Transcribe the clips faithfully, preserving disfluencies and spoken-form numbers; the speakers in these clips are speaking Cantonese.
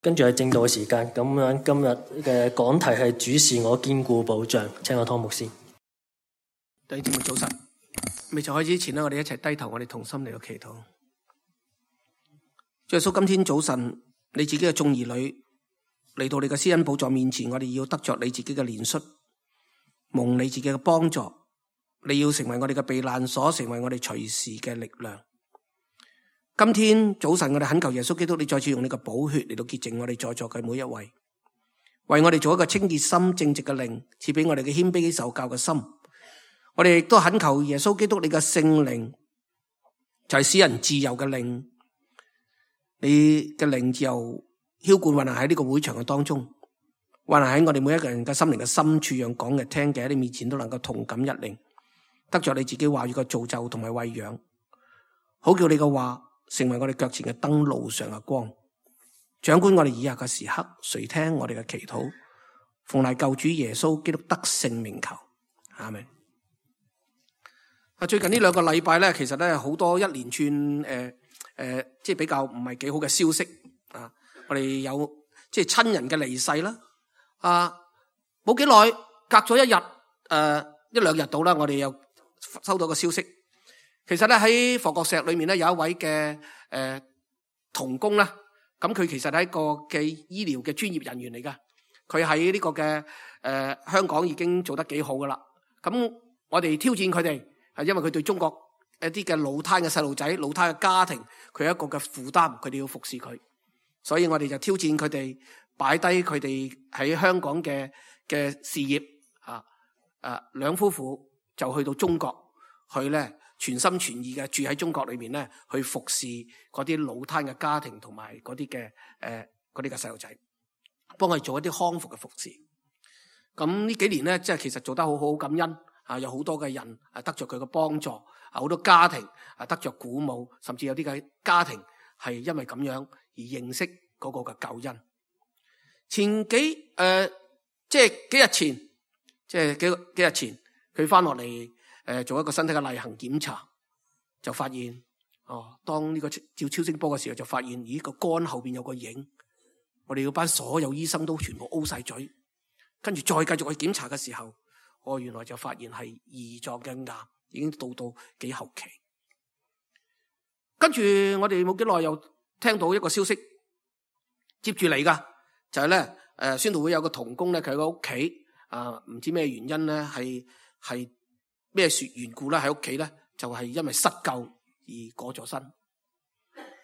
跟住係正道嘅時間，咁樣今日嘅講題係主是我堅固保障，請我湯牧師。弟兄姊妹早晨，未就開始之前咧，我哋一齊低頭，我哋同心嚟到祈禱。主耶穌，今天早晨你自己嘅眾兒女嚟到你嘅施恩寶座面前，我哋要得着你自己嘅憐恤，蒙你自己嘅幫助，你要成為我哋嘅避難所，成為我哋隨時嘅力量。今天早晨我哋懇求耶穌基督，你再次用你嘅寶血嚟到潔淨我哋在座嘅每一位，為我哋做一個清潔心正直嘅靈，賜俾我哋嘅謙卑受教嘅心。我哋亦都懇求耶穌基督，你嘅聖靈就係使人自由嘅靈，你嘅靈自由澆灌運行喺呢個會場嘅當中，運行喺我哋每一個人嘅心靈嘅深處，讓講嘅聽嘅喺你面前都能夠同感一靈，得着你自己話語嘅造就同埋餵養，好叫你嘅話成為我哋腳前嘅燈，路上嘅光，掌管我哋以下嘅時刻，垂聽我哋嘅祈禱，奉賴救主耶穌基督得勝名求，阿們。啊，最近呢兩個禮拜咧，其實咧好多一連串誒誒、呃，即係比較唔係幾好嘅消息啊！我哋有即係親人嘅離世啦，啊，冇幾耐，隔咗一日誒、呃、一兩日到啦，我哋又收到個消息。其實咧喺佛國石裏面咧有一位嘅誒、呃、同工啦，咁佢其實係一個嘅醫療嘅專業人員嚟噶，佢喺呢個嘅誒、呃、香港已經做得幾好噶啦。咁我哋挑戰佢哋，係因為佢對中國一啲嘅腦癱嘅細路仔、腦癱嘅家庭，佢有一個嘅負擔，佢哋要服侍佢，所以我哋就挑戰佢哋擺低佢哋喺香港嘅嘅事業啊，誒兩夫婦就去到中國去咧。全心全意嘅住喺中國裏面咧，去服侍嗰啲腦癱嘅家庭同埋嗰啲嘅誒嗰啲嘅細路仔，幫佢做一啲康復嘅服侍。咁呢幾年咧，即係其實做得好好，感恩啊，有好多嘅人啊得着佢嘅幫助，啊好多家庭啊得着鼓舞，甚至有啲嘅家庭係因為咁樣而認識嗰個嘅救恩。前幾誒、呃、即係幾日前，即係幾幾日前，佢翻落嚟。誒，做一個身體嘅例行檢查，就發現哦，當呢個照超聲波嘅時候，就發現咦個肝後邊有個影，我哋嗰班所有醫生都全部 O 晒嘴，跟住再繼續去檢查嘅時候，哦原來就發現係胰臟嘅癌，已經到到幾後期。跟住我哋冇幾耐又聽到一個消息，接住嚟噶就係咧誒，宣道會有個同工咧，佢喺個屋企啊，唔知咩原因咧，係係。咩說緣故咧？喺屋企咧，就係因為失救而過咗身。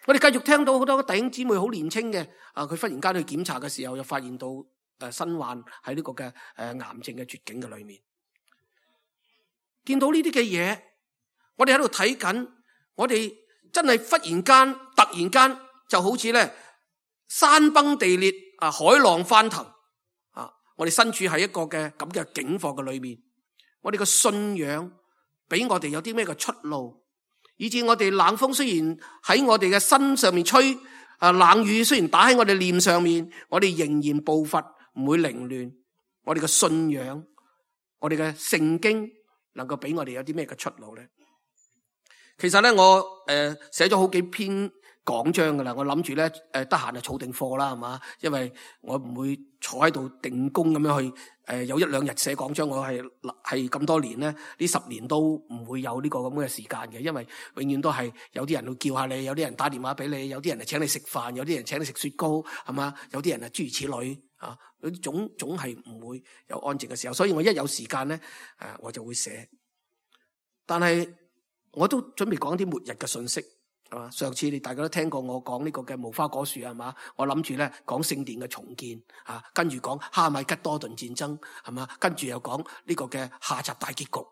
我哋繼續聽到好多弟兄姊妹好年輕嘅，啊，佢忽然間去檢查嘅時候，又發現到誒身患喺呢個嘅誒癌症嘅絕境嘅裏面。見到呢啲嘅嘢，我哋喺度睇緊，我哋真係忽然間、突然間，就好似咧山崩地裂啊，海浪翻騰啊！我哋身處喺一個嘅咁嘅境況嘅裏面。我哋嘅信仰俾我哋有啲咩嘅出路，以致我哋冷風雖然喺我哋嘅身上面吹，啊冷雨雖然打喺我哋臉上面，我哋仍然步伐唔會凌亂。我哋嘅信仰，我哋嘅聖經能夠俾我哋有啲咩嘅出路咧？其實咧，我誒寫咗好幾篇講章噶啦，我諗住咧誒得閒就儲定貨啦，係嘛？因為我唔會坐喺度定工咁樣去誒、呃、有一兩日寫講章，我係係咁多年咧，呢十年都唔會有呢個咁嘅時間嘅，因為永遠都係有啲人會叫下你，有啲人打電話俾你，有啲人係請你食飯，有啲人請你食雪糕，係嘛？有啲人係諸如此類啊，總總係唔會有安靜嘅時候，所以我一有時間咧，誒、呃、我就會寫。但係我都準備講啲末日嘅信息。上次你大家都聽過我講呢個嘅無花果樹係嘛？我諗住咧講聖殿嘅重建啊，跟住講哈米吉多頓戰爭係嘛？跟住又講呢個嘅下集大結局。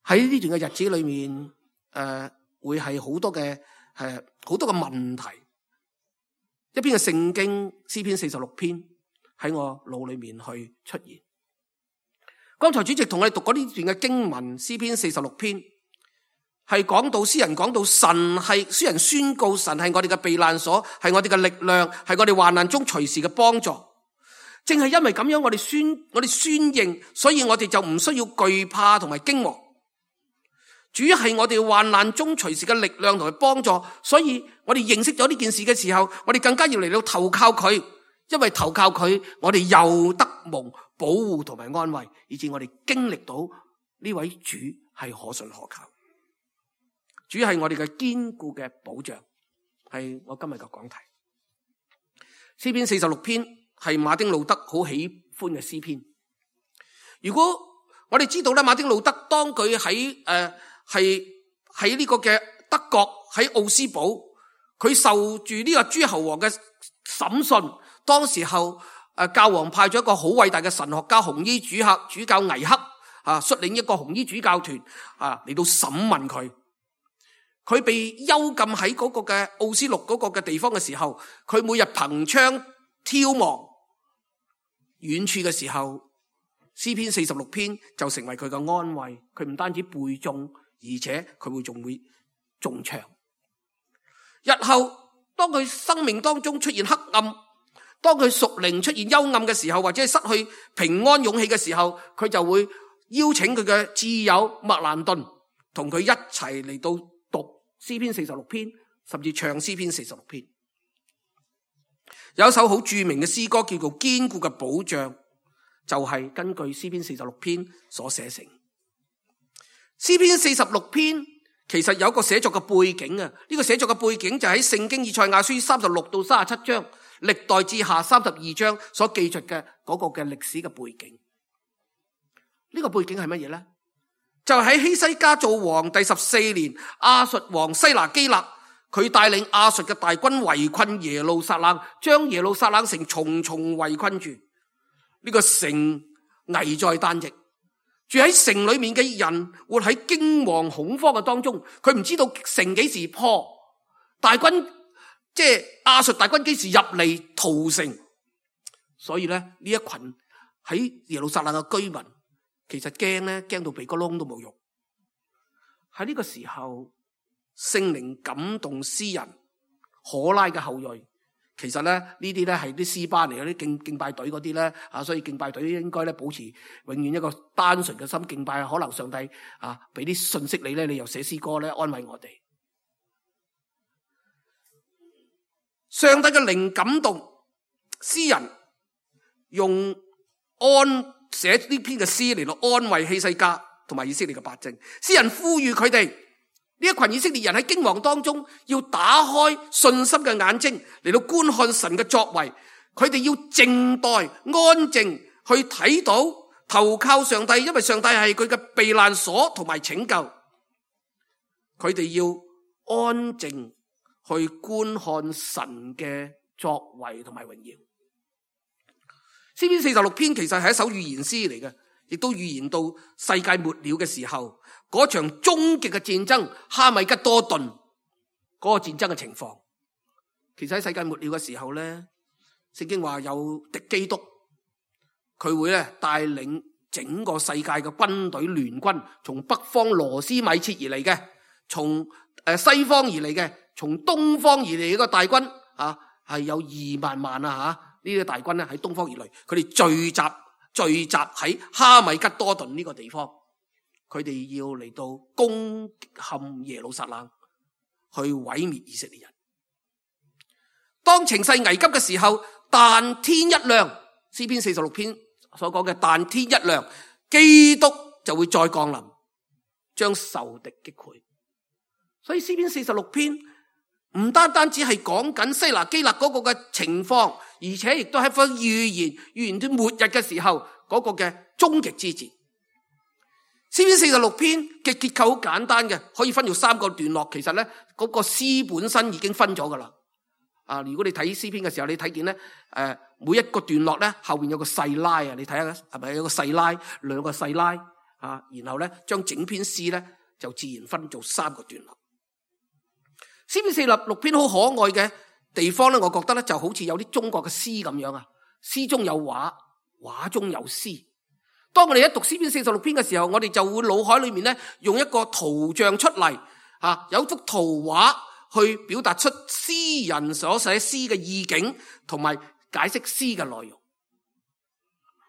喺呢段嘅日子裏面，誒、呃、會係好多嘅誒好多嘅問題。一篇嘅聖經詩篇四十六篇喺我腦裏面去出現。剛才主席同我哋讀過呢段嘅經文，詩篇四十六篇。係講到詩人講到神係詩人宣告神係我哋嘅避難所，係我哋嘅力量，係我哋患難中隨時嘅幫助。正係因為咁樣，我哋宣我哋宣認，所以我哋就唔需要懼怕同埋驚惶。主係我哋患難中隨時嘅力量同埋幫助，所以我哋認識咗呢件事嘅時候，我哋更加要嚟到投靠佢，因為投靠佢，我哋又得蒙保護同埋安慰，以致我哋經歷到呢位主係可信可靠。主係我哋嘅堅固嘅保障，係我今日嘅講題。詩篇四十六篇係馬丁路德好喜歡嘅詩篇。如果我哋知道咧，馬丁路德當佢喺誒係喺呢個嘅德國喺奧斯堡，佢受住呢個諸侯王嘅審訊，當時候誒教皇派咗一個好偉大嘅神學家紅衣主客主教倪克啊，率領一個紅衣主教團啊嚟到審問佢。佢被幽禁喺嗰個嘅奧斯陸嗰個嘅地方嘅時候，佢每日憑窗眺望遠處嘅時候，詩篇四十六篇就成為佢嘅安慰。佢唔單止背誦，而且佢會仲會中唱。日後當佢生命當中出現黑暗，當佢屬靈出現幽暗嘅時候，或者係失去平安勇氣嘅時候，佢就會邀請佢嘅摯友麥蘭頓同佢一齊嚟到讀詩篇四十六篇，甚至唱詩篇四十六篇。有一首好著名嘅詩歌叫做《堅固嘅保障》，就係、是、根據詩篇四十六篇所寫成。詩篇四十六篇其實有一個寫作嘅背景啊，呢、這個寫作嘅背景就喺聖經以賽亞書三十六到三十七章，歷代志下三十二章所記述嘅嗰個嘅歷史嘅背景。呢、這個背景係乜嘢呢？就喺希西家做王第十四年，亞述王西拿基立佢帶領亞述嘅大軍圍困耶路撒冷，將耶路撒冷城重重圍困住。呢個城危在旦夕，住喺城裏面嘅人活喺驚惶恐慌嘅當中，佢唔知道城幾時破，大軍即係亞述大軍幾時入嚟屠城。所以咧，呢一群喺耶路撒冷嘅居民其實驚咧，驚到鼻哥窿都冇用。喺呢個時候，聖靈感動詩人可拉嘅後裔。其實咧，呢啲咧係啲詩班嚟嘅，啲敬敬拜隊嗰啲咧啊，所以敬拜隊應該咧保持永遠一個單純嘅心敬拜。可能上帝啊俾啲信息你咧，你又寫詩歌咧安慰我哋。上帝嘅靈感動詩人用安寫呢篇嘅詩嚟到安慰希西家同埋以色列嘅百姓。詩人呼籲佢哋呢一群以色列人喺驚惶當中，要打開信心嘅眼睛嚟到觀看神嘅作為。佢哋要靜待安靜去睇到投靠上帝，因為上帝係佢嘅避難所同埋拯救。佢哋要安靜去觀看神嘅作為同埋榮耀。詩篇四十六篇其實係一首預言詩嚟嘅，亦都預言到世界末了嘅時候，嗰場終極嘅戰爭哈米吉多頓嗰個戰爭嘅情況。其實喺世界末了嘅時候咧，聖經話有敵基督，佢會咧帶領整個世界嘅軍隊聯軍，從北方羅斯米切而嚟嘅，從誒西方而嚟嘅，從東方而嚟嘅大軍啊，係有二萬萬啊吓。呢啲大軍咧喺東方而嚟，佢哋聚集聚集喺哈米吉多頓呢個地方，佢哋要嚟到攻陷耶路撒冷，去毀滅以色列人。當情勢危急嘅時候，但天一亮，詩篇四十六篇所講嘅但天一亮，基督就會再降臨，將仇敵擊潰。所以詩篇四十六篇唔單單只係講緊西拿基立嗰個嘅情況，而且亦都係一份預言，預言到末日嘅時候嗰個嘅終極之戰。詩篇四十六篇嘅結構好簡單嘅，可以分做三個段落。其實咧，嗰個詩本身已經分咗噶啦。啊，如果你睇詩篇嘅時候，你睇見咧，誒，每一個段落咧後邊有個細拉啊，你睇下係咪有個細拉，兩個細拉啊，然後咧將整篇詩咧就自然分做三個段落。詩篇四十六篇好可愛嘅地方咧，我覺得咧就好似有啲中國嘅詩咁樣啊，詩中有畫，畫中有詩。當我哋一讀詩篇四十六篇嘅時候，我哋就會腦海裏面咧用一個圖像出嚟，啊，有幅圖畫去表達出詩人所寫詩嘅意境，同埋解釋詩嘅內容。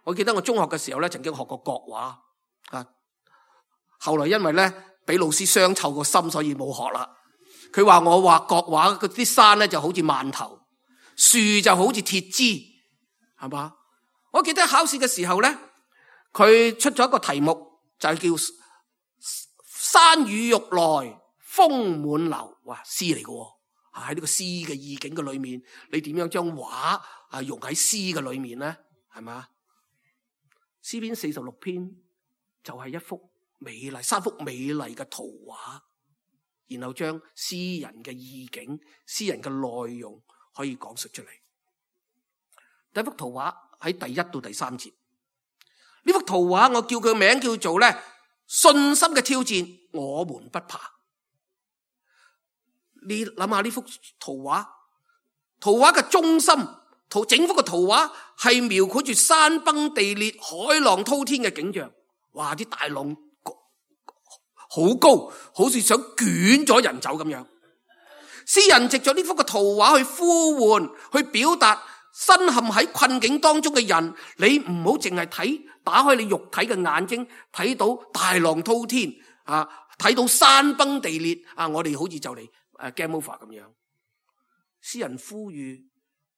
我記得我中學嘅時候咧，曾經學過國畫啊，後來因為咧俾老師傷透個心，所以冇學啦。佢話我畫國畫嗰啲山咧就好似饅頭，樹就好似鐵枝，係嘛？我記得考試嘅時候咧，佢出咗一個題目，就係叫山雨欲來風滿樓。哇，詩嚟嘅，喺呢個詩嘅意境嘅裏面，你點樣將畫啊用喺詩嘅裏面咧？係嘛？詩篇四十六篇就係一幅美麗三幅美麗嘅圖畫，然後將詩人嘅意境、詩人嘅內容可以講述出嚟。第一幅圖畫喺第一到第三節，呢幅圖畫我叫佢名叫做咧信心嘅挑戰，我們不怕。你諗下呢幅圖畫，圖畫嘅中心，圖整幅嘅圖畫係描繪住山崩地裂、海浪滔天嘅景象。哇！啲大浪好高，好似想捲咗人走咁樣。詩人藉着呢幅嘅圖畫去呼喚，去表達身陷喺困境當中嘅人，你唔好淨係睇，打開你肉體嘅眼睛，睇到大浪滔天啊，睇到山崩地裂啊，我哋好似就嚟誒 game over 咁樣。詩人呼籲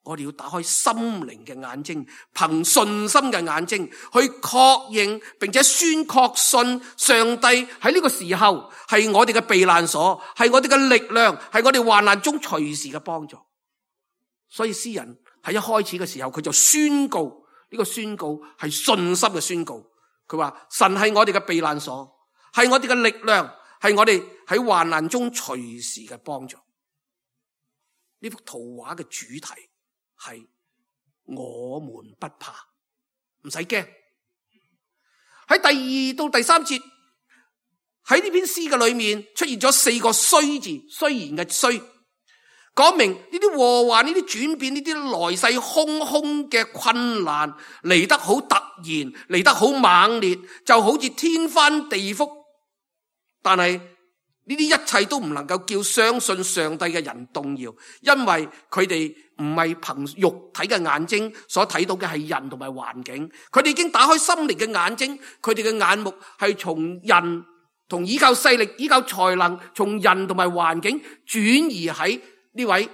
我哋要打開心靈嘅眼睛，憑信心嘅眼睛去確認並且宣確信上帝喺呢個時候係我哋嘅避難所，係我哋嘅力量，係我哋患難中隨時嘅幫助。所以詩人喺一開始嘅時候，佢就宣告，呢個宣告係信心嘅宣告。佢話神係我哋嘅避難所，係我哋嘅力量，係我哋喺患難中隨時嘅幫助。呢幅圖畫嘅主題係我們不怕，唔使驚。喺第二到第三節，喺呢篇詩嘅裏面出現咗四個雖字，雖然嘅雖，講明呢啲禍患、呢啲轉變、呢啲來勢洶洶嘅困難嚟得好突然，嚟得好猛烈，就好似天翻地覆。但係呢啲一切都唔能夠叫相信上帝嘅人動搖，因為佢哋唔係憑肉體嘅眼睛所睇到嘅係人同埋環境，佢哋已經打開心靈嘅眼睛，佢哋嘅眼目係從人同依靠勢力、依靠才能，從人同埋環境轉移喺呢位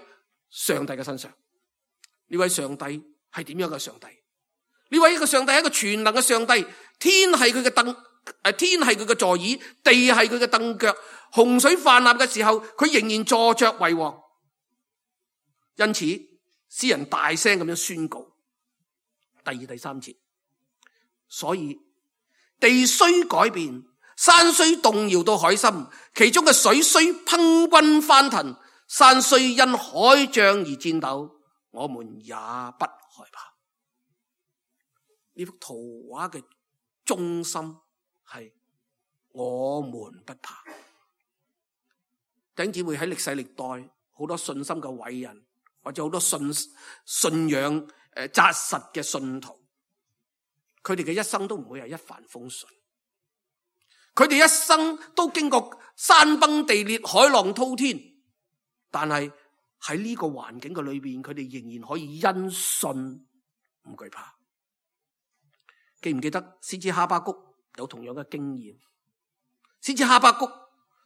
上帝嘅身上。呢位上帝係點樣嘅上帝？呢位一個上帝係一個全能嘅上帝，天係佢嘅凳，誒，天係佢嘅座椅，地係佢嘅凳腳。洪水泛濫嘅時候，佢仍然坐着為王。因此，詩人大聲咁樣宣告第二、第三節。所以地雖改變，山雖動搖到海心，其中嘅水雖匉訇翻騰，山雖因海漲而顫抖，我們也不害怕。呢幅圖畫嘅中心係我們不怕。弟兄姊妹，喺歷世歷代好多信心嘅偉人，或者好多信信仰誒紮實嘅信徒，佢哋嘅一生都唔會係一帆風順，佢哋一生都經過山崩地裂、海浪滔天，但係喺呢個環境嘅裏邊，佢哋仍然可以因信唔懼怕。記唔記得先知哈巴谷有同樣嘅經驗？先知哈巴谷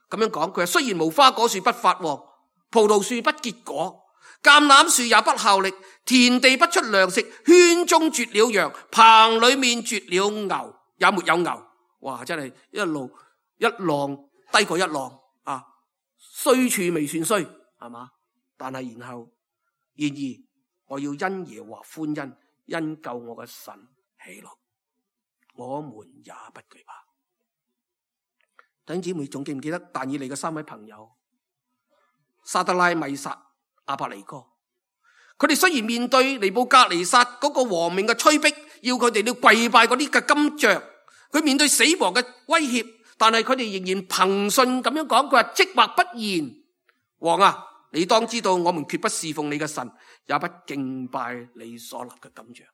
咁樣講，佢話雖然無花果樹不發旺，葡萄樹不結果，橄欖樹也不效力，田地不出糧食，圈中絕了羊，棚裏面絕了牛，也沒有牛。哇！真係一路一浪低過一浪啊！衰處未算衰，係嘛？但係然後，然而我要因耶和華歡欣，因救我嘅神喜樂，我們也不懼怕。弟兄姊妹，仲記唔記得但以理嘅三位朋友沙得拉、米煞、亞伯尼哥？佢哋雖然面對尼布甲尼撒嗰個王命嘅催逼，要佢哋要跪拜嗰啲嘅金像，佢面對死亡嘅威脅，但係佢哋仍然憑信咁樣講，佢話即或不然，王啊，你當知道我們決不侍奉你嘅神，也不敬拜你所立嘅金像。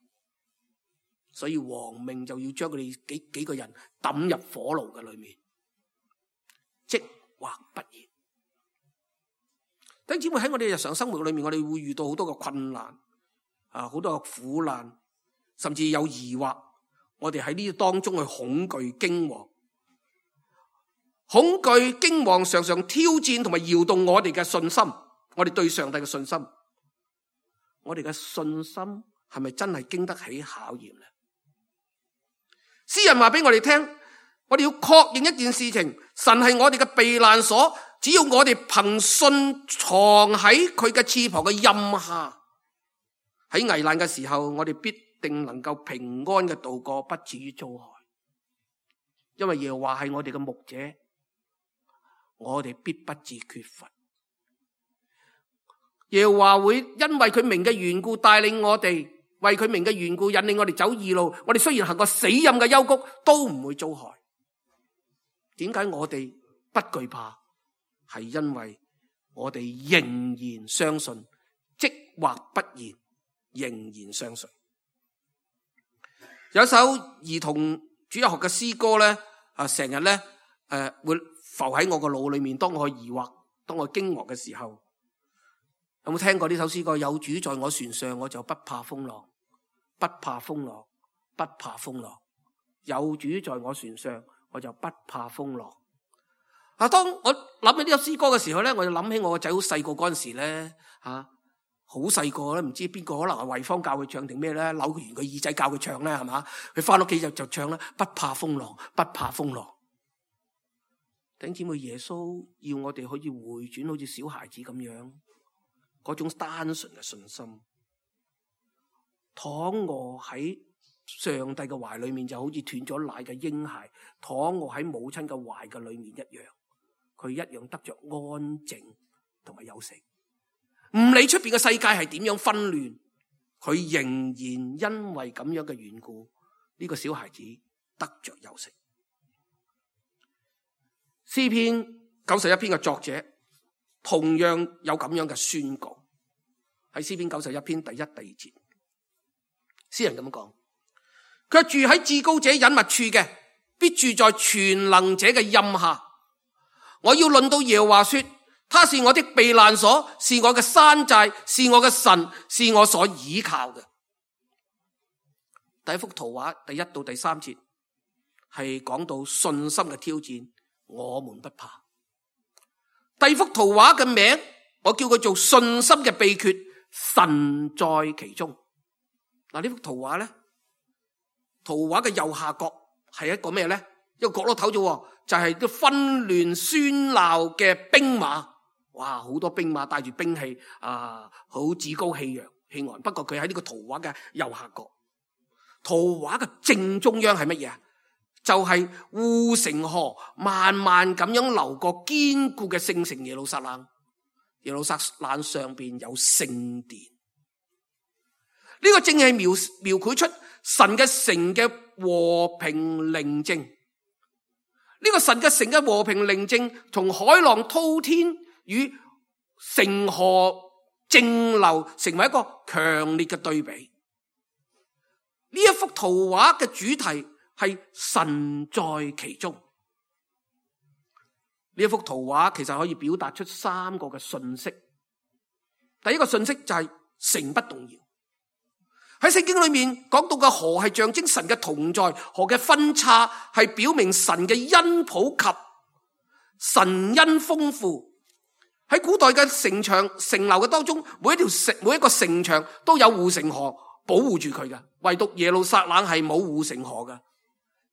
所以王命就要將佢哋幾幾個人抌入火爐嘅裏面。即或不然，弟兄姊妹，喺我哋日常生活裏面，我哋會遇到好多嘅困難啊，好多嘅苦難，甚至有疑惑。我哋喺呢當中去恐懼驚惶，恐懼、驚惶常常挑戰同埋搖動我哋嘅信心，我哋對上帝嘅信心。我哋嘅信心係咪真係經得起考驗呢？詩人話俾我哋聽，我哋要確認一件事情，神係我哋嘅避難所，只要我哋憑信藏喺佢嘅翅膀嘅蔭下，喺危難嘅時候，我哋必定能夠平安嘅度過，不至於遭害。因為耶和華係我哋嘅牧者，我哋必不致缺乏。耶和華會因為佢名嘅緣故帶領我哋，為佢名嘅緣故引領我哋走義路。我哋雖然行過死蔭嘅幽谷，都唔會遭害。點解我哋不懼怕？係因為我哋仍然相信，即或不然，仍然相信。有一首兒童主日學嘅詩歌咧，啊，成日咧誒會浮喺我個腦裏面。當我疑惑、當我驚愕嘅時候，有冇聽過呢首詩歌？有主在我船上，我就不怕風浪，不怕風浪，不怕風浪。有主在我船上，我就不怕風浪。啊！當我諗起呢首詩歌嘅時候咧，我就諗起我個仔好細個嗰陣時咧，吓好細個咧，唔知邊個可能係慧芳教佢唱定咩咧，扭完個耳仔教佢唱咧，係嘛？佢翻屋企就就唱啦，不怕風浪，不怕風浪。弟兄姊妹，耶穌要我哋可以回轉，好似小孩子咁樣，嗰種單純嘅信心，躺臥喺上帝嘅懷裏面，就好似斷咗奶嘅嬰孩，躺臥喺母親嘅懷嘅裏面一樣。佢一樣得着安靜同埋休息，唔理出邊嘅世界係點樣紛亂，佢仍然因為咁樣嘅緣故，呢個小孩子得着休息。詩篇九十一篇嘅作者同樣有咁樣嘅宣告，喺詩篇九十一篇第一、第二節，詩人咁樣講：佢住喺至高者隱密處嘅，必住在全能者嘅蔭下。我要論到耶和華說，他是我的避難所，是我嘅山寨，是我嘅神，是我所倚靠嘅。第一幅圖畫第一到第三節係講到信心嘅挑戰，我們不怕。第二幅圖畫嘅名我叫佢做信心嘅秘訣，神在其中。嗱，呢幅圖畫咧，圖畫嘅右下角係一個咩咧？一個角落頭啫，就係啲紛亂喧鬧嘅兵馬。哇，好多兵馬帶住兵器啊，好趾高氣揚氣昂。不過佢喺呢個圖畫嘅右下角，圖畫嘅正中央係乜嘢啊？就係護城河慢慢咁樣流過堅固嘅聖城耶路撒冷。耶路撒冷上邊有聖殿，呢個正係描描繪出神嘅城嘅和平寧靜。呢個神嘅城嘅和平寧靜，同海浪滔天與城河靜流成為一個強烈嘅對比。呢一幅圖畫嘅主題係神在其中。呢一幅圖畫其實可以表達出三個嘅信息。第一個信息就係城不動搖。喺聖經裏面講到嘅河係象徵神嘅同在，河嘅分叉係表明神嘅恩普及，神恩豐富。喺古代嘅城牆城樓嘅當中，每一條城每一個城牆都有護城河保護住佢嘅，唯獨耶路撒冷係冇護城河嘅，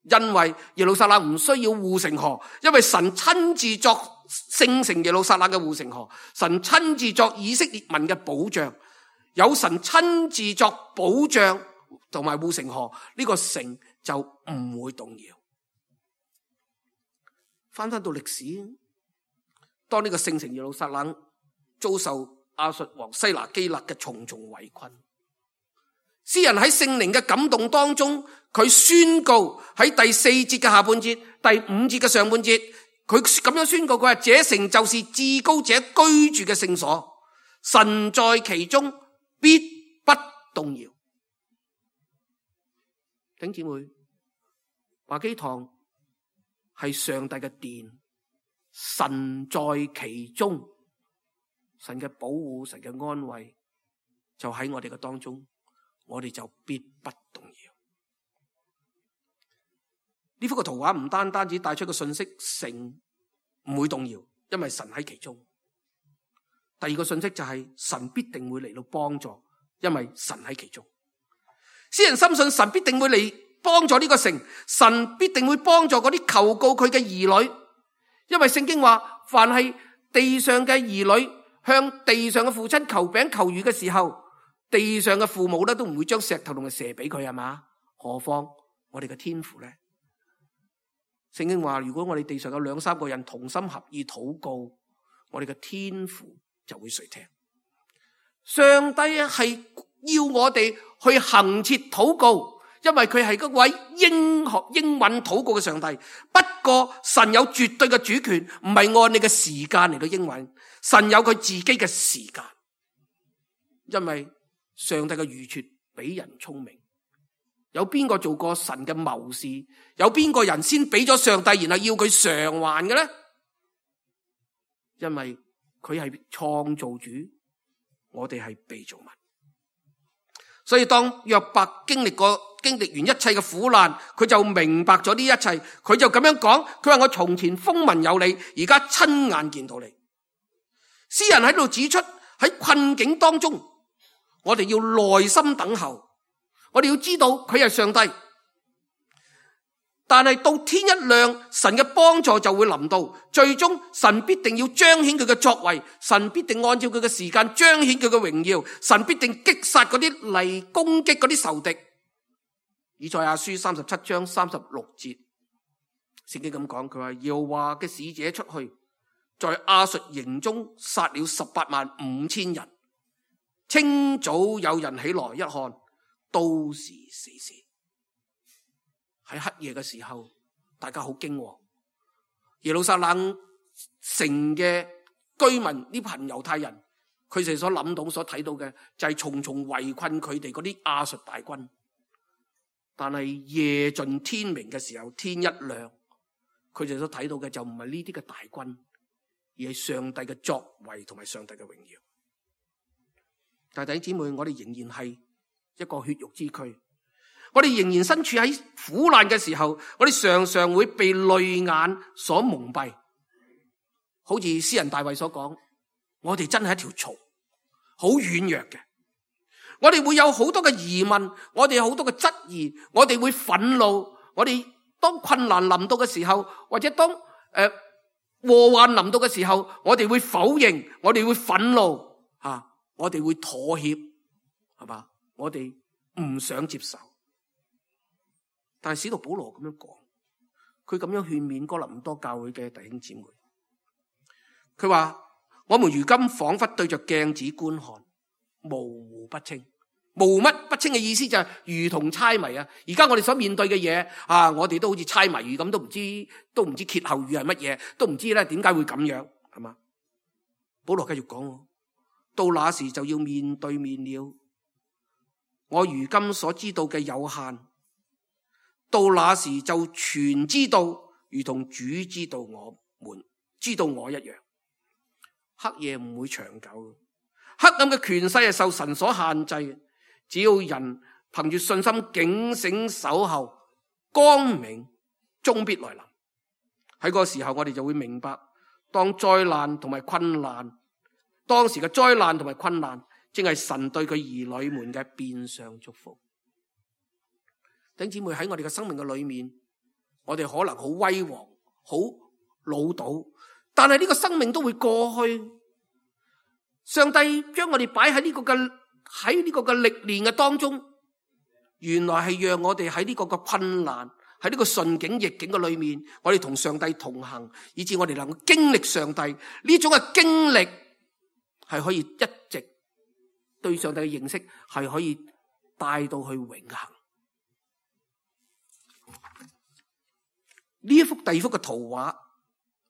因為耶路撒冷唔需要護城河，因為神親自作聖城耶路撒冷嘅護城河，神親自作以色列民嘅保障。有神親自作保障同埋護城河，呢個城就唔會動搖。翻翻到歷史，當呢個聖城耶路撒冷遭受亞述王西拿基立嘅重重圍困，詩人喺聖靈嘅感動當中，佢宣告喺第四節嘅下半節、第五節嘅上半節，佢咁樣宣告，佢話：這城就是至高者居住嘅聖所，神在其中，必不動搖。弟兄姊妹，華基堂係上帝嘅殿，神在其中，神嘅保護、神嘅安慰就喺我哋嘅當中，我哋就必不動搖。呢幅嘅圖畫唔單單只帶出個信息，城唔會動搖，因為神喺其中。第二個信息就係神必定會嚟到幫助，因為神喺其中。詩人深信神必定會嚟幫助呢個城，神必定會幫助嗰啲求告佢嘅兒女，因為聖經話，凡係地上嘅兒女向地上嘅父親求餅求魚嘅時候，地上嘅父母咧都唔會將石頭同埋蛇俾佢，係嘛？何況我哋嘅天父咧？聖經話，如果我哋地上有兩三個人同心合意禱告，我哋嘅天父就會垂聽。上帝係要我哋去恆切禱告，因為佢係嗰位應學應允禱告嘅上帝。不過神有絕對嘅主權，唔係按你嘅時間嚟到應允，神有佢自己嘅時間。因為上帝嘅預設比人聰明，有邊個做過神嘅謀士？有邊個人先俾咗上帝，然後要佢償還嘅咧？因為佢係創造主，我哋係被造物。所以當約伯經歷過經歷完一切嘅苦難，佢就明白咗呢一切。佢就咁樣講，佢話我從前風聞有你，而家親眼見到你。詩人喺度指出，喺困境當中，我哋要耐心等候，我哋要知道佢係上帝。但係到天一亮，神嘅幫助就會臨到，最終神必定要彰顯佢嘅作為，神必定按照佢嘅時間彰顯佢嘅榮耀，神必定擊殺嗰啲嚟攻擊嗰啲仇敵。以賽亞書三十七章三十六節，聖經咁講，佢話耶和華嘅使者出去，在亞述營中殺了十八萬五千人。清早有人起來一看，都是死屍。喺黑夜嘅時候，大家好驚惶。耶路撒冷城嘅居民呢群猶太人，佢哋所諗到、所睇到嘅就係重重圍困佢哋嗰啲亞述大軍。但係夜盡天明嘅時候，天一亮，佢哋所睇到嘅就唔係呢啲嘅大軍，而係上帝嘅作為同埋上帝嘅榮耀。但弟兄姊妹，我哋仍然係一個血肉之軀。我哋仍然身處喺苦難嘅時候，我哋常常會被淚眼所蒙蔽，好似詩人大衛所講，我哋真係一條蟲，好軟弱嘅。我哋會有好多嘅疑問，我哋有好多嘅質疑，我哋會憤怒。我哋當困難臨到嘅時候，或者當誒、呃、禍患臨到嘅時候，我哋會否認，我哋會憤怒啊，我哋會妥協，係嘛？我哋唔想接受。但係使徒保羅咁樣講，佢咁樣勸勉哥林多教會嘅弟兄姊妹，佢話：我們如今仿佛對着鏡子觀看，模糊不清。模糊乜不清嘅意思就係如同猜謎啊！而家我哋所面對嘅嘢啊，我哋都好似猜謎語咁，都唔知都唔知歇後語係乜嘢，都唔知咧點解會咁樣，係嘛？保羅繼續講，到那時就要面對面了。我如今所知道嘅有限，到那時就全知道，如同主知道我們知道我一樣。黑夜唔會長久，黑暗嘅權勢係受神所限制。只要人憑住信心警醒守候，光明終必來臨。喺嗰個時候，我哋就會明白，當災難同埋困難，當時嘅災難同埋困難，正係神對佢兒女們嘅變相祝福。弟兄姊妹，喺我哋嘅生命嘅裏面，我哋可能好威煌、好老道，但係呢個生命都會過去。上帝將我哋擺喺呢個嘅喺呢個嘅歷練嘅當中，原來係讓我哋喺呢個嘅困難、喺呢個順境逆境嘅裏面，我哋同上帝同行，以致我哋能夠經歷上帝呢種嘅經歷，係可以一直對上帝嘅認識係可以帶到去永恆。呢一幅第二幅嘅圖畫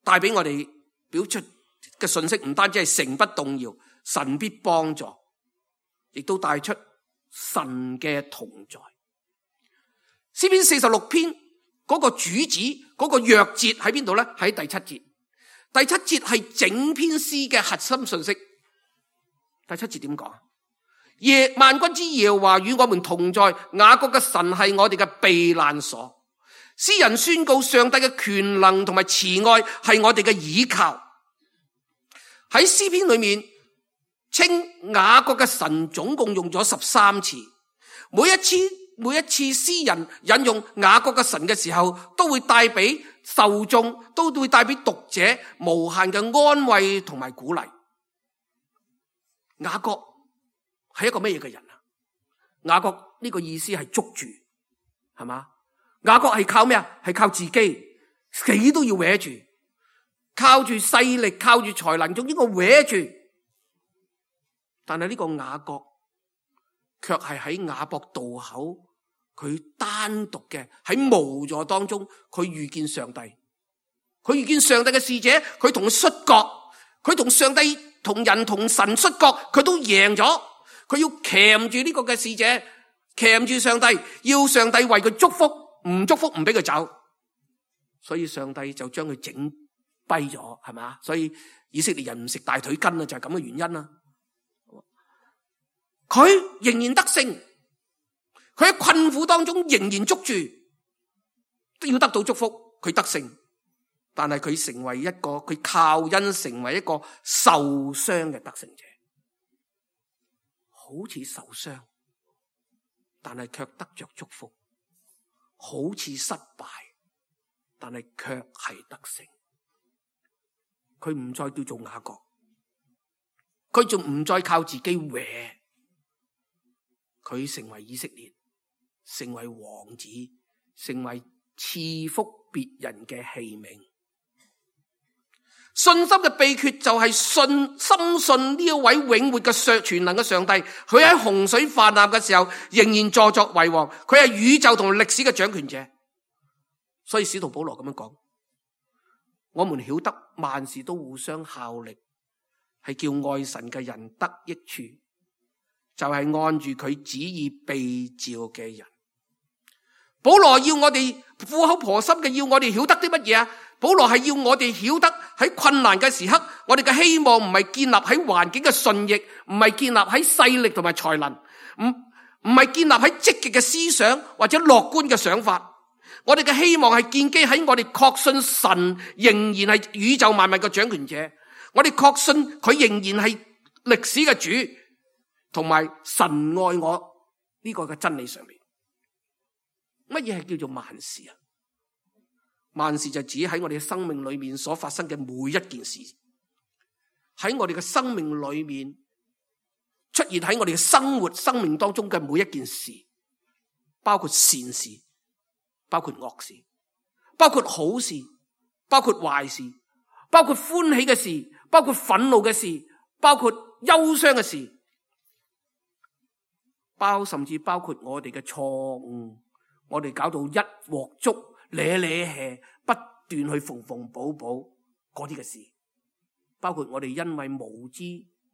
帶俾我哋表出嘅信息，唔單止係城不動搖，神必幫助，亦都帶出神嘅同在。詩篇四十六篇嗰個主旨，嗰個弱節喺邊度咧？喺第七節。第七節係整篇詩嘅核心信息。第七節點講？耶萬軍之耶和華與我們同在，雅各嘅神係我哋嘅避難所。詩人宣告上帝嘅權能同埋慈愛係我哋嘅倚靠。喺詩篇裏面稱雅各嘅神總共用咗十三次，每一次每一次詩人引用雅各嘅神嘅時候，都會帶俾受眾，都會帶俾讀者無限嘅安慰同埋鼓勵。雅各係一個咩嘢嘅人啊？雅各呢個意思係捉住，係嘛？雅各係靠咩啊？係靠自己，死都要搲住，靠住勢力，靠住才能，總之我搲住。但係呢個雅各卻係喺雅博渡口，佢單獨嘅喺無助當中，佢遇見上帝，佢遇見上帝嘅使者，佢同佢摔角，佢同上帝同人同神摔角，佢都贏咗。佢要鉗住呢個嘅使者，鉗住上帝，要上帝為佢祝福，唔祝福唔俾佢走。所以上帝就將佢整跛咗，係咪？所以以色列人唔食大腿筋啊，就係咁嘅原因啦。佢仍然得勝，佢喺困苦當中仍然捉住，都要得到祝福。佢得勝，但係佢成為一個，佢靠恩成為一個受傷嘅得勝者，好似受傷，但係卻得着祝福；好似失敗，但係卻係得勝。佢唔再叫做雅各，佢仲唔再靠自己搲。佢成為以色列，成為王子，成為賜福別人嘅器皿。信心嘅秘訣就係信深信呢一位永活嘅上全能嘅上帝，佢喺洪水泛濫嘅時候仍然坐作為王，佢係宇宙同歷史嘅掌權者。所以使徒保羅咁樣講，我們曉得萬事都互相效力，係叫愛神嘅人得益處，就係按住佢旨意被召嘅人。保羅要我哋苦口婆心嘅，要我哋曉得啲乜嘢啊？保羅係要我哋曉得喺困難嘅時刻，我哋嘅希望唔係建立喺環境嘅順逆，唔係建立喺勢力同埋才能，唔唔係建立喺積極嘅思想或者樂觀嘅想法。我哋嘅希望係建基喺我哋確信神仍然係宇宙萬物嘅掌權者，我哋確信佢仍然係歷史嘅主，同埋神愛我呢個嘅真理上面。乜嘢係叫做萬事啊？萬事就指喺我哋嘅生命裏面所發生嘅每一件事，喺我哋嘅生命裏面出現喺我哋嘅生活生命當中嘅每一件事，包括善事，包括惡事，包括好事，包括壞事，包括歡喜嘅事，包括憤怒嘅事，包括憂傷嘅事，包甚至包括我哋嘅錯誤，我哋搞到一鑊粥咧咧氣，不斷去縫縫補補嗰啲嘅事，包括我哋因為無知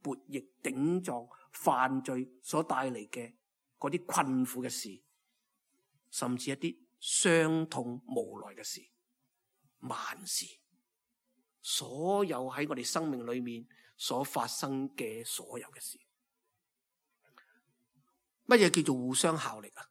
悖逆頂撞犯罪所帶嚟嘅嗰啲困苦嘅事，甚至一啲傷痛無奈嘅事，萬事，所有喺我哋生命裏面所發生嘅所有嘅事，乜嘢叫做互相效力啊？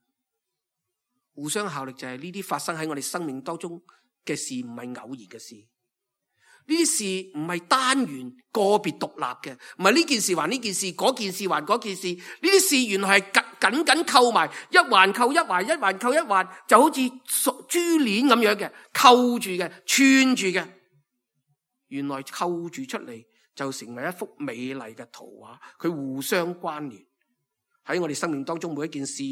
互相效力就係呢啲發生喺我哋生命當中嘅事，唔係偶然嘅事。呢啲事唔係單元個別獨立嘅，唔係呢件事還呢件事，嗰件事還嗰件事。呢啲事原來係緊緊緊扣埋，一環扣一環，一環扣一環，就好似珠鏈咁樣嘅，扣住嘅，串住嘅。原來扣住出嚟就成為一幅美麗嘅圖畫，佢互相關聯。喺我哋生命當中每一件事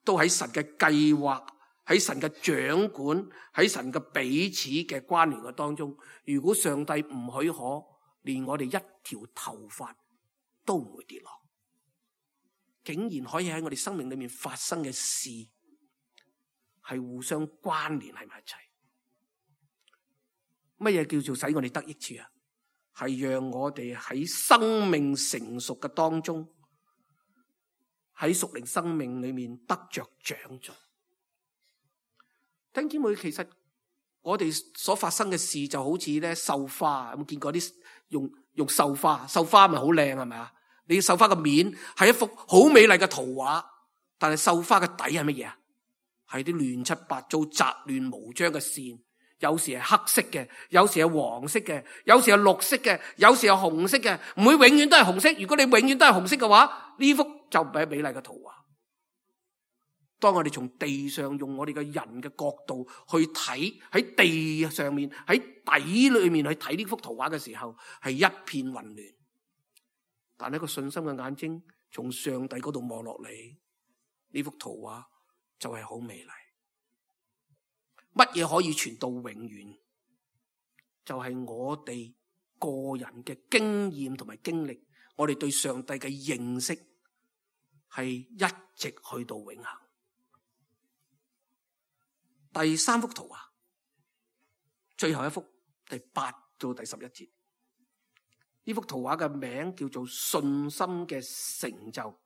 都喺神嘅計劃，喺神嘅掌管，喺神嘅彼此嘅關聯嘅當中。如果上帝唔許可，連我哋一條頭髮都唔會跌落，竟然可以喺我哋生命裏面發生嘅事係互相關聯喺埋一齊。乜嘢叫做使我哋得益處啊？係讓我哋喺生命成熟嘅當中，喺屬靈生命裏面得着長進。弟兄姊妹，其實我哋所發生嘅事就好似咧繡花，有冇見過啲用用繡花？繡花咪好靚係咪啊？你繡花嘅面係一幅好美麗嘅圖畫，但係繡花嘅底係乜嘢啊？係啲亂七八糟、雜亂無章嘅線，有時係黑色嘅，有時係黃色嘅，有時係綠色嘅，有時係紅色嘅，唔會永遠都係紅色。如果你永遠都係紅色嘅話，呢幅就唔係美麗嘅圖畫。當我哋從地上用我哋嘅人嘅角度去睇，喺地上面喺底裏面去睇呢幅圖畫嘅時候，係一片混亂。但係一個信心嘅眼睛從上帝嗰度望落嚟，呢幅圖畫就係好美麗。乜嘢可以傳到永遠？就係我哋個人嘅經驗同埋經歷，我哋對上帝嘅認識係一直去到永恆。第三幅圖畫，最後一幅，第八到第十一節，呢幅圖畫嘅名叫做信心嘅成就，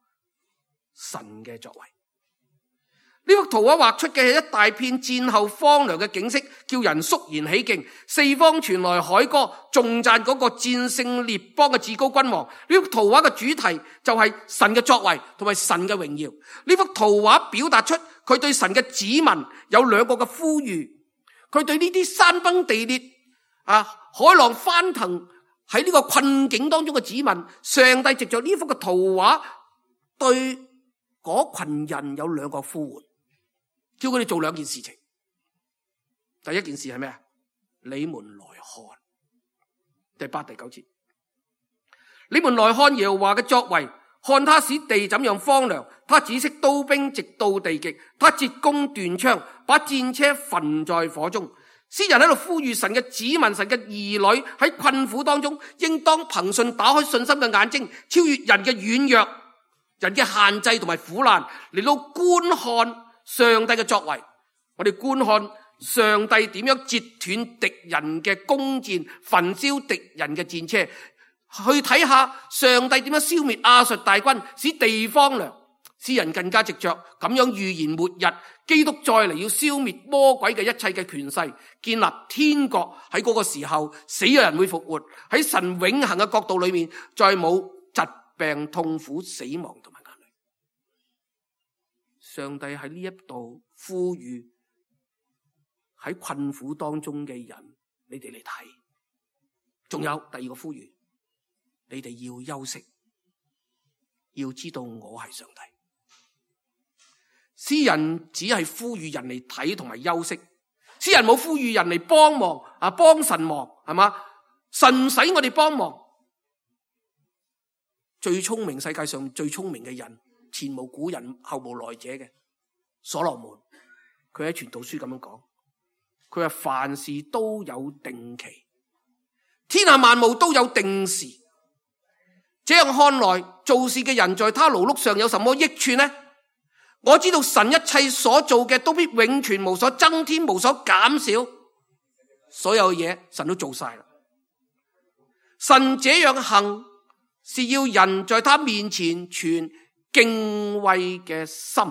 神嘅作為。呢幅圖畫畫出嘅係一大片戰後荒涼嘅景色，叫人肅然起敬，四方傳來凱歌，頌讚嗰個戰勝列邦嘅至高君王。呢幅圖畫嘅主題就係神嘅作為同埋神嘅榮耀。呢幅圖畫表達出佢對神嘅子民有兩個嘅呼籲，佢對呢啲山崩地裂啊、海浪翻騰喺呢個困境當中嘅子民，上帝藉着呢幅嘅圖畫對嗰群人有兩個呼喚，叫佢哋做兩件事情。第一件事係咩啊？你們來看，第八、第九節，你們來看耶和華嘅作為，看他使地怎樣荒涼，他止息刀兵直到地極，他折弓斷槍，把戰車焚在火中。詩人喺度呼籲神嘅子民、神嘅兒女喺困苦當中，應當憑信打開信心嘅眼睛，超越人嘅軟弱、人嘅限制同埋苦難，嚟到觀看上帝嘅作為。我哋觀看上帝點樣截斷敵人嘅弓箭，焚燒敵人嘅戰車，去睇下上帝點樣消滅亞述大軍，使地荒涼。詩人更加藉着咁樣預言末日，基督再嚟要消滅魔鬼嘅一切嘅權勢，建立天國。喺嗰個時候，死嘅人會復活。喺神永恆嘅國度裏面，再冇疾病、痛苦、死亡同埋眼淚。上帝喺呢一度呼籲喺困苦當中嘅人，你哋嚟睇。仲有第二個呼籲，你哋要休息，要知道我係上帝。詩人只係呼籲人嚟睇同埋休息，詩人冇呼籲人嚟幫忙啊，幫神忙係嘛？神使我哋幫忙。最聰明，世界上最聰明嘅人，前無古人後無來者嘅所羅門，佢喺傳道書咁樣講，佢話凡事都有定期，天下萬物都有定時。這樣看來，做事嘅人在他勞碌上有什麼益處呢？我知道神一切所做嘅都必永存，無所增添，無所減少，所有嘢神都做晒啦。神這樣行，是要人在他面前存敬畏嘅心。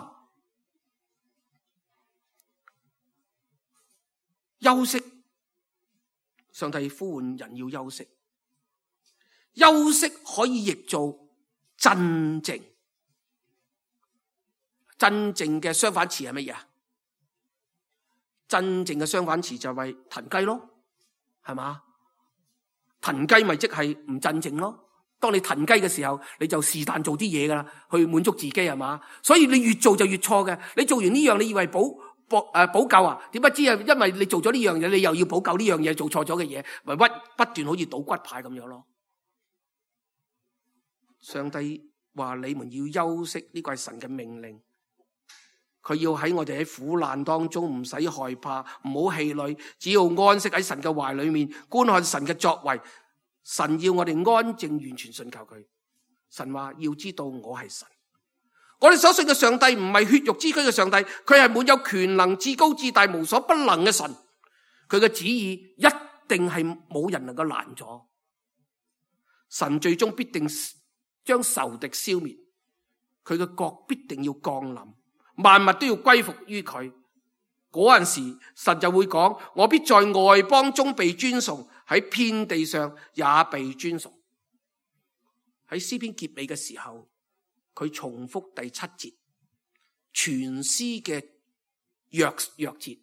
休息，上帝呼喚人要休息。休息可以譯做鎮靜。真正嘅相反詞係乜嘢啊？真正嘅相反詞就係騰雞咯，係嘛？騰雞咪即係唔鎮靜咯。當你騰雞嘅時候，你就是但做啲嘢噶啦，去滿足自己係嘛？所以你越做就越錯嘅。你做完呢樣，你以為補補誒補救啊？點不知啊？因為你做咗呢樣嘢，你又要補救呢樣嘢做錯咗嘅嘢，咪屈不斷好似倒骨牌咁樣咯。上帝話你們要休息，呢個係神嘅命令。佢要喺我哋喺苦難當中唔使害怕，唔好氣餒，只要安息喺神嘅懷裏面，觀看神嘅作為。神要我哋安靜完全信靠佢。神話要知道我係神。我哋所信嘅上帝唔係血肉之軀嘅上帝，佢係滿有權能、至高至大、無所不能嘅神。佢嘅旨意一定係冇人能夠攔阻。神最終必定將仇敵消滅，佢嘅國必定要降臨。萬物都要歸服於佢。嗰陣時，神就會講：我必在外邦中被尊崇，喺遍地上也被尊崇。喺詩篇結尾嘅時候，佢重複第七節，全詩嘅若若節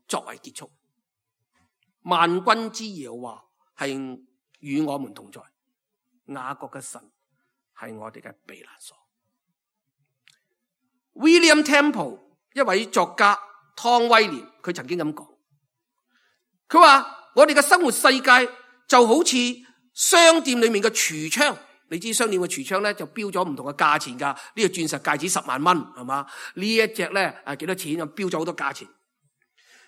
作為結束。萬軍之耶和華係與我們同在，雅各嘅神係我哋嘅避難所。William Temple 一位作家湯威廉，佢曾經咁講，佢話我哋嘅生活世界就好似商店裏面嘅櫥窗，你知商店嘅櫥窗咧就標咗唔同嘅價錢噶，呢個鑽石戒指十萬蚊係嘛，呢一隻咧誒幾多錢，就標咗好多價錢。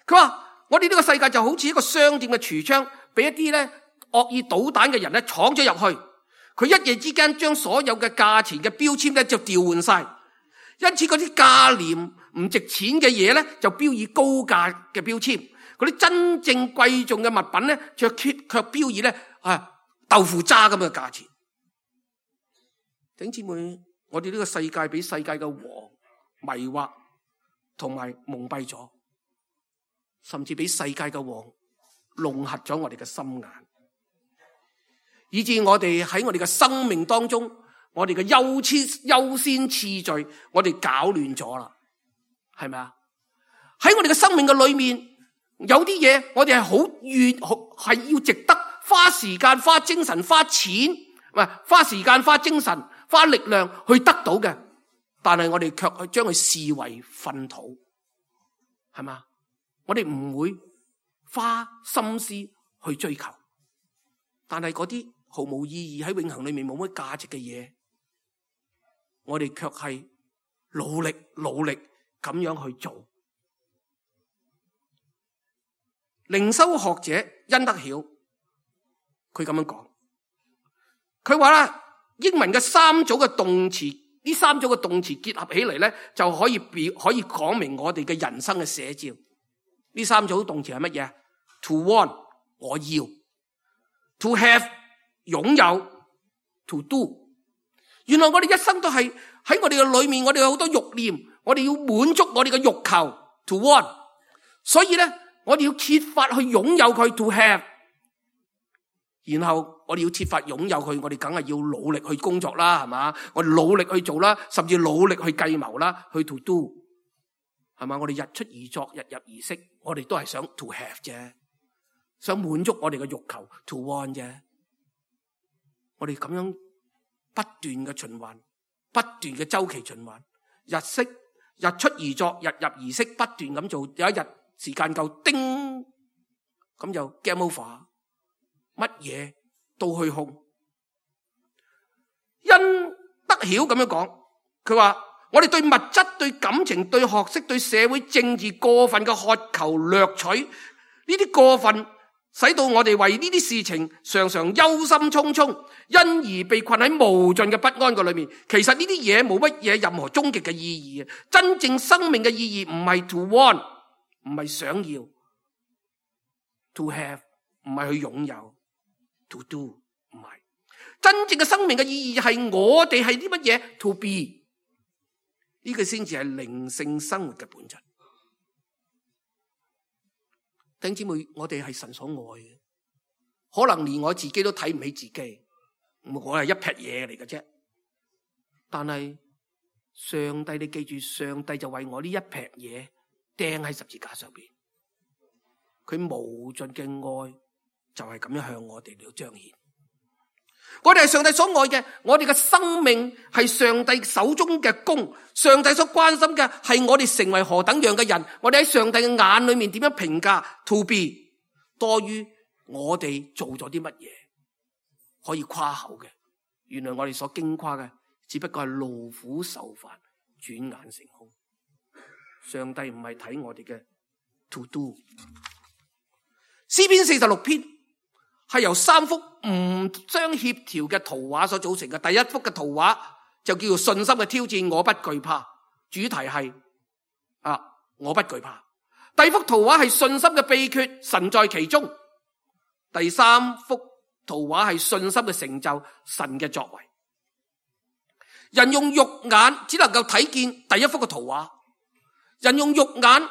佢話我哋呢個世界就好似一個商店嘅櫥窗，俾一啲咧惡意搗蛋嘅人咧闖咗入去，佢一夜之間將所有嘅價錢嘅標籤咧就調換晒，因此嗰啲價廉唔值錢嘅嘢咧就標以高價嘅標籤，嗰啲真正貴重嘅物品咧卻卻標以咧啊豆腐渣咁嘅價錢。弟兄姊妹，我哋呢個世界俾世界嘅王迷惑同埋蒙蔽咗，甚至俾世界嘅王弄瞎咗我哋嘅心眼，以致我哋喺我哋嘅生命當中，我哋嘅優先優先次序，我哋搞亂咗啦，係咪啊？喺我哋嘅生命嘅裏面，有啲嘢我哋係好願係要值得花時間、花精神、花錢，唔係花時間、花精神、花力量去得到嘅，但係我哋卻去將佢視為糞土，係咪啊？我哋唔會花心思去追求，但係嗰啲毫無意義喺永恆裏面冇乜價值嘅嘢，我哋卻係努力努力咁樣去做。靈修學者恩德曉佢咁樣講，佢話啦，英文嘅三組嘅動詞，呢三組嘅動詞結合起嚟咧，就可以表可以講明我哋嘅人生嘅寫照。呢三組動詞係乜嘢？To want 我要 ，To have 擁有 ，To do。原來我哋一生都係喺我哋嘅裏面，我哋有好多慾念，我哋要滿足我哋嘅慾求 ，To want。所以咧，我哋要設法去擁有佢 ，To have。然後我哋要設法擁有佢，我哋梗係要努力去工作啦，係嘛？我哋努力去做啦，甚至努力去計謀啦，去 To do。係嘛？我哋日出而作，日入而息，我哋都係想 to have 啫，想滿足我哋嘅慾求 to want 啫。我哋咁樣不斷嘅循環，不斷嘅周期循環，日息日出而作，日入而息，不斷咁做，有一日時間夠叮，咁就 game over， 乜嘢都虛空。恩德曉咁樣講，佢話。我哋對物質、對感情、對學識、對社會政治過分嘅渴求掠取，呢啲過分使到我哋為呢啲事情常常憂心忡忡，因而被困喺無盡嘅不安嘅裏面。其實呢啲嘢冇乜嘢任何終極嘅意義。真正生命嘅意義唔係 to want， 唔係想要 ，to have 唔係去擁有 ，to do 唔係。真正嘅生命嘅意義係我哋係啲乜嘢 to be。呢個先至係靈性生活嘅本質。弟兄姊妹，我哋係神所愛嘅，可能連我自己都睇唔起自己，我係一劈嘢嚟嘅啫。但係上帝，你記住，上帝就為我呢一劈嘢釘喺十字架上邊，佢無盡嘅愛就係咁樣向我哋嚟彰顯。我哋係上帝所愛嘅，我哋嘅生命係上帝手中嘅工，上帝所關心嘅係我哋成為何等樣嘅人，我哋喺上帝嘅眼裏面點樣評價 to be 多於我哋做咗啲乜嘢可以誇口嘅。原來我哋所矜誇嘅只不過係勞苦受煩，轉眼成空。上帝唔係睇我哋嘅 to do。詩篇四十六篇係由三幅唔相協調嘅圖畫所組成嘅。第一幅嘅圖畫就叫做信心嘅挑戰，我不懼怕，主題係啊，我不懼怕。第二幅圖畫係信心嘅秘訣，神在其中。第三幅圖畫係信心嘅成就，神嘅作為。人用肉眼只能夠睇見第一幅嘅圖畫，人用肉眼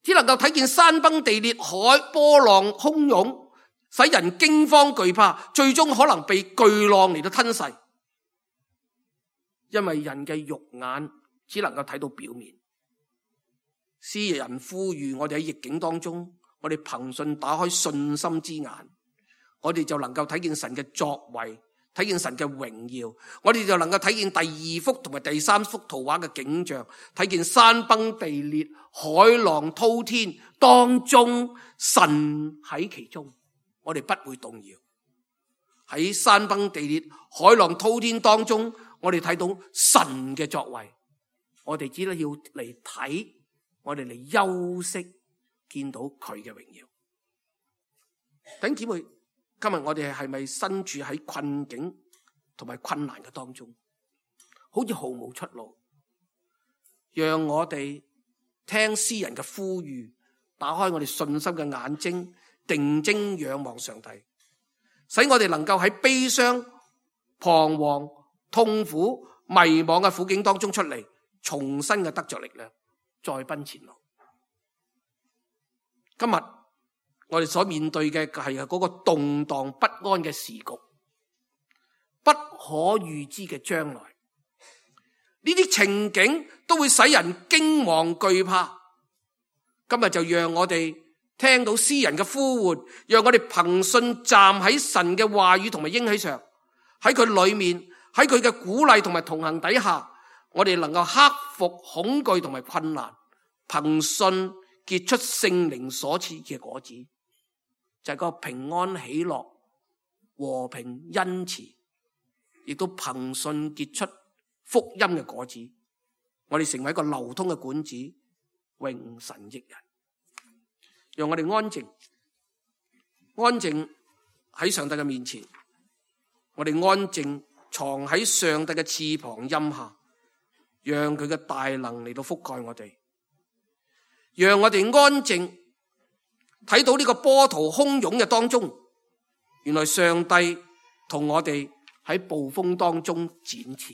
只能夠睇見山崩地裂、海波浪洶湧，使人驚慌懼怕，最終可能被巨浪嚟到吞噬。因為人嘅肉眼只能夠睇到表面，詩人呼籲我哋喺逆境當中，我哋憑信打開信心之眼，我哋就能夠睇見神嘅作為，睇見神嘅榮耀，我哋就能夠睇見第二幅同埋第三幅圖畫嘅景象，睇見山崩地裂、海浪滔天當中，神喺其中，我哋不會動搖。喺山崩地裂、海浪滔天當中，我哋睇到神嘅作為，我哋只係要嚟睇，我哋嚟休息，見到佢嘅榮耀。弟兄姊妹，今日我哋係咪身處喺困境同埋困難嘅當中，好似毫無出路？讓我哋聽詩人嘅呼籲，打開我哋信心嘅眼睛，定睛仰望上帝，使我哋能夠喺悲傷、彷徨、痛苦、迷惘嘅苦境當中出嚟，重新嘅得着力量，再奔前路。今日我哋所面對嘅係嗰個動盪不安嘅時局，不可預知嘅將來，呢啲情景都會使人驚惶懼怕。今日就讓我哋聽到詩人嘅呼喚，讓我哋憑信站喺神嘅話語同埋應許上，喺佢裏面，喺佢嘅鼓勵同埋同行底下，我哋能夠克服恐懼同埋困難，憑信結出聖靈所賜嘅果子，就係個平安喜樂、和平恩慈，亦都憑信結出福音嘅果子。我哋成為一個流通嘅管子，榮神益人。讓我哋安靜，安靜喺上帝嘅面前，我哋安靜藏喺上帝嘅翅膀蔭下，讓佢嘅大能嚟到覆蓋我哋。讓我哋安靜睇到呢個波濤洶湧嘅當中，原來上帝同我哋喺暴風當中展翅。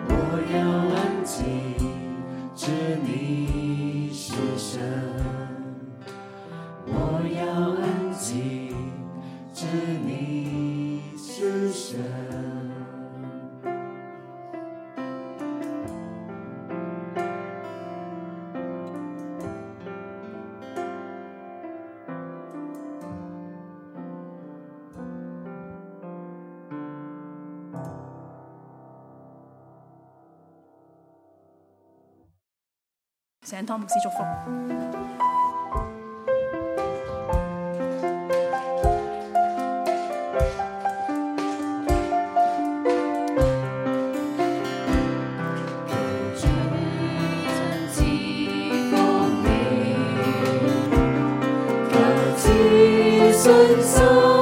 我要安静，知你神，我要安静，知你是神。聖湯牧師祝福。信心。